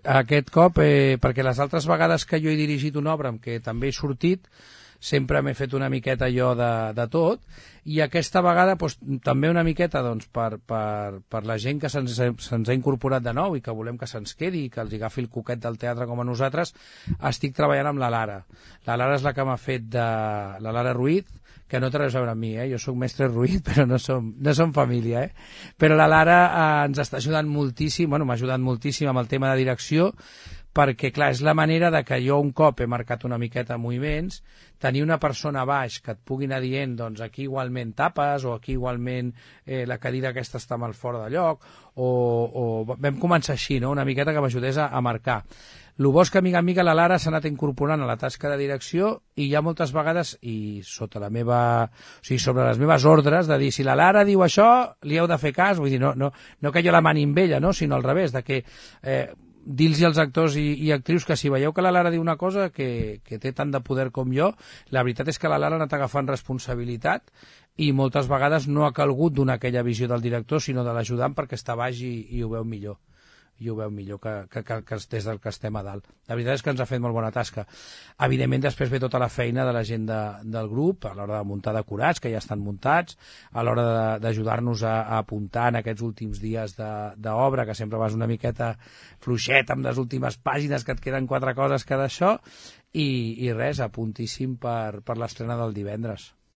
aquest cop, perquè les altres vegades que jo he dirigit una obra en què també he sortit, sempre m'he fet una miqueta jo de tot, i aquesta vegada doncs, també una miqueta doncs, per la gent que se'ns ha incorporat de nou i que volem que se'ns quedi i que els agafi el coquet del teatre com a nosaltres, estic treballant amb la Lara. La Lara és la que m'ha fet la Lara Ruiz, que no té res a veure amb mi, jo soc mestre Ruiz, però no som família, Però la Lara ens està ajudant moltíssim, m'ha ajudat moltíssim amb el tema de direcció, perquè, clar, és la manera de que jo un cop he marcat una miqueta moviments, tenir una persona a baix que et pugui anar dient, doncs aquí igualment tapes, o aquí igualment la cadira aquesta està mal fora de lloc, o vam començar així, no? Una miqueta que m'ajudés a marcar. El bo és que, mica en mica, la Lara s'ha anat incorporant a la tasca de direcció i hi ha moltes vegades, i sobre les meves ordres, de dir, si la Lara diu això, li heu de fer cas, vull dir, no que jo la mani amb ella, no? Sinó al revés, de que dir-los als actors i actrius que si veieu que la Lara diu una cosa que té tant de poder com jo, la veritat és que la Lara ha anat agafant responsabilitat i moltes vegades no ha calgut donar aquella visió del director, sinó de l'ajudant perquè està baix i ho veu millor. I ho veu millor que des del que estem a dalt. La veritat és que ens ha fet molt bona tasca. Evidentment, després ve tota la feina de la gent del grup, a l'hora de muntar decorats, que ja estan muntats, a l'hora d'ajudar-nos a apuntar en aquests últims dies d'obra, que sempre vas una miqueta fluixet amb les últimes pàgines, que et queden 4 coses que d'això, i res, apuntíssim per l'estrena del divendres.